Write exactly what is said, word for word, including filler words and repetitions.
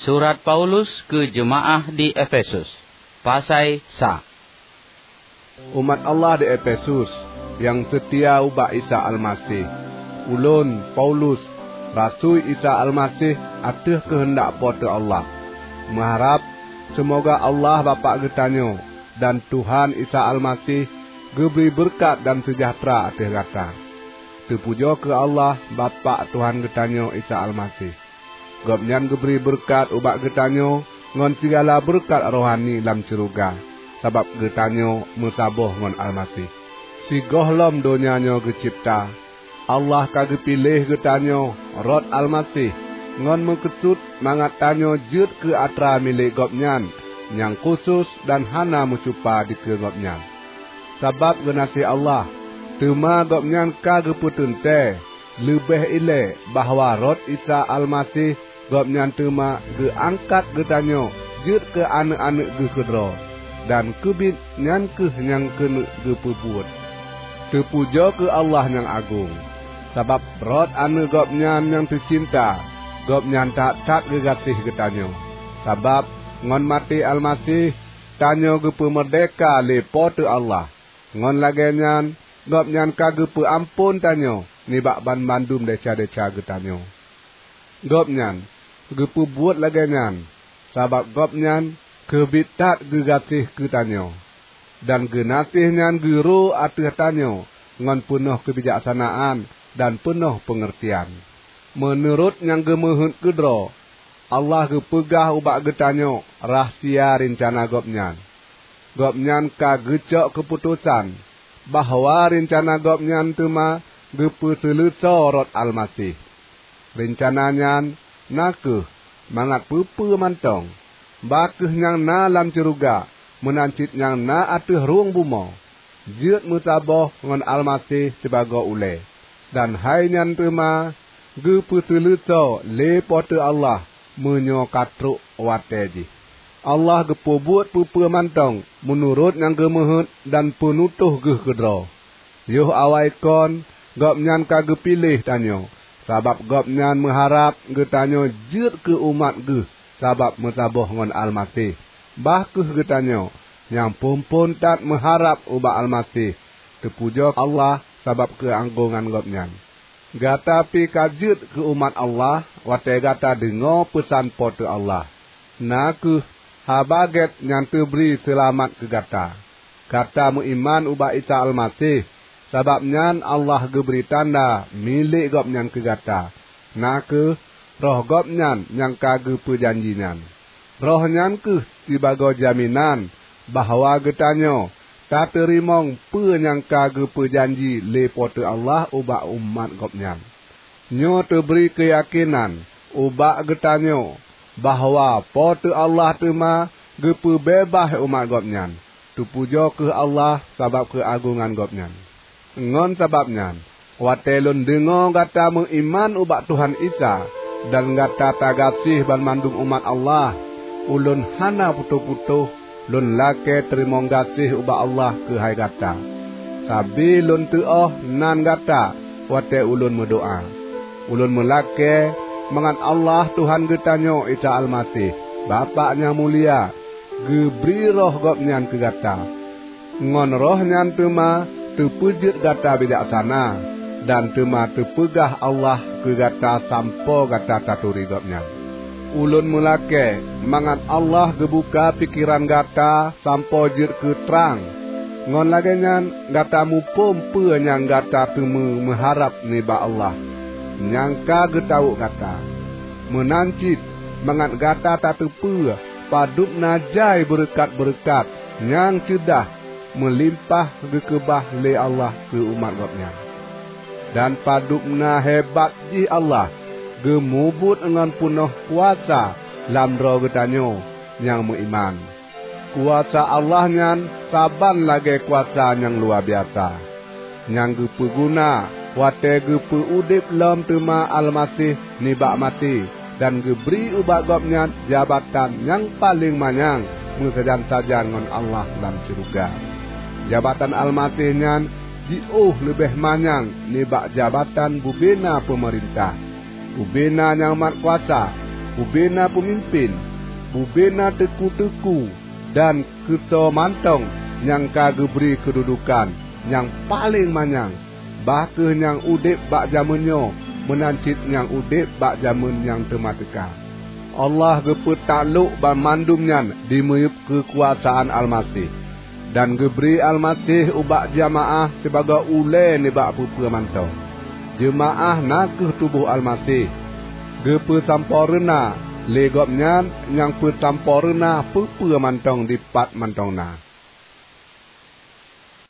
Surat Paulus keu jeumaáh di Efesus. Pasai sa. Umat Allah di Efesus nyang seutia ubak Isa Almaseh. Ulôn, Paulus, rasui Isa Almaseh ateueh keuheundak Po teu Allah, meuharab seumoga Allah Bapak geutanyoe dan Tuhan Isa Almaseh geubri beureukat dan seujahteura ateueh gata. Teupujoe keu Allah, Bapak Tuhan geutanyoe Isa Almaseh! Gobnyan geubri beureukat ubak geutanyoe ngon sigala beureukat rohani lam syeuruga sabab geutanyoe meusaboh ngon Almaseh. Sigohlom donya nyoe geucebta, Allah ka geupiléh geutanyoe rot Almaseh ngon meukeusut mangat tanyoe jeuet keu atra milék Gobnyan nyang khusos dan hana meucupa dikeue Gobnyan. Sabab geunaséh Allah, teuma Gobnyan ka geupeuteuntée leubeh ilée bahwa rot Isa Almaseh Gobnyan teuma geuangkat geutanyoe jeuet keu aneuëk-aneuëk Geuh keudroe, dan keubiet nyan kheueh nyang keuneuk geupeubuet. Teupujoe keu Allah nyang agong! Sabab rot Aneuëk Gobnyan nyang teucinta, Gobnyan that-that geugaséh geutanyoe. Sabab ngon maté Almaseh, tanyoe geupeumeurdehka lé Po teu Allah. Ngon lagée nyan, Gobnyan ka geupeu amphon tanyoe nibak banmandum desya-desya geutanyoe. Gobnyan geupeubuet lagée nyan sabab Gobnyan keubiet that geugaséh keu tanyoe, dan geunaséh nyan geuro ateueh tanyoe ngon peunoh keubijaksanaan dan peunoh peungeurtian. Meunurot nyang geumeuheuet keudroe, Allah geupeugah ubak geutanyoe rahsia reuncana Gobnyan. Gobnyan ka geucok keuputosan bahwa reuncana Gobnyan teuma geupeuseuleusoe rot Almaseh. Reuncana nyan na kheueh mangat peue-peue mantong, bah kheueh nyang na lam syeuruga meunan cit nyang na ateueh rhueng bumoe, jeuet meusaboh ngon Almaseh sibagoe ulée. Dan hai nyan teuma geupeuseuleusoe lé Po teu Allah meunyoe ka trok watée jih. Allah geupeubuet peue-peue mantong meunurot nyang geumeuheuet dan peunutôh Geuh keudroe. Yoh awai kon, Gobnyan ka geupiléh tanyoe, sabab Gobnyan meuharab geutanyoe jeuet keu umat Geuh sabab meusaboh ngon Almaseh. Bah kheueh geutanyoe nyang phon-phon that meuharab ubak Almaseh, teupujoe Allah sabab keuagongan Gobnyan! Gata pih ka jeuet keu umat Allah watée gata deungoe peusan Po teu Allah, na kheueh Haba Gét nyang teubri seulamat keu gata. Gata meuiman ubak Isa Almaseh, sabab nyan Allah geubri tanda milék Gobnyan keu gata, na kheueh Roh Gobnyan nyang ka geupeujanji nyan. Roh nyan kheueh sibagoe jaminan bahwa geutanyoe tateurimong peue nyang ka geupeujanji lé Po teu Allah ubak umat Gobnyan. Nyoe teubri keuyakénan ubak geutanyoe bahwa Po teu Allah teuma geupeubeubah umat Gobnyan. Teupujoe kheueh Allah sabab keuagongan Gobnyan! Ngon sabab nyan, watée lôn deungoe gata meuiman ubak Tuhan Isa dan gata tagaséh banmandum umat Allah, ulôn hana putôh-putôh lôn lakée teurimong gaséh ubak Allah keuhai gata. Sabe lôn teuôh nan gata watée ulôn meudoá. Ulôn meulakée mangat Allah Tuhan geutanyoe Isa Almaseh, Bapak nyang mulia, geubri Roh Gobnyan keu gata. Ngon Roh nyan teuma teupeujeuet gata bijaksana, dan teuma teupeugah Allah keu gata sampoe gata taturi Gobnyan. Ulôn meulakée mangat Allah geubuka pikeran gata sampoe jeuet keu trang, ngon lagée nyan gata muphom peue nyang gata teumé meuharab nibak Allah nyang ka geutawök gata. Meunan cit mangat gata tateupeue padub na jai beureukat-beureukat nyang ceudah meulimpah geukeubah lé Allah keu umat Gobnyan, dan padub na hebat jih Allah geumubuet ngon peunoh kuasa lam droe geutanyoe nyang meuiman. Kuasa Allah nyan saban lagée kuasa nyang luwabiasa, nyang geupeuguna watée geupeu udeb lom teuma Almaseh nibak maté dan geubri ubak Gobnyan jabatan nyang paleng manyang meusajan-sajan ngon Allah lam syeuruga. Jabatan Almaseh nyan jiôh leubeh manyang nibak jabatan bubena peumeurintah, bubena nyang mat kuasa. bubena peumimpén, bubena teuku-teuku, dan keu soe mantong nyang ka geubri keududukan nyang paleng manyang, bah kheueh nyang udeb bak jamén nyoe meunan cit nyang udeb bak jamén nyang teuma teuka. Allah geupeutak lok banmandum nyan dimiyueb keukuasaan Almaseh, dan geubri Almaseh ubak jeumaáh sibagoe ulée nibak peue-peue mantong. Jeumaáh na kheueh tuboh Almaseh, geupeusampoereuna lé Gobnyan nyang peusampoereuna peue-peue mantong dipat mantong na.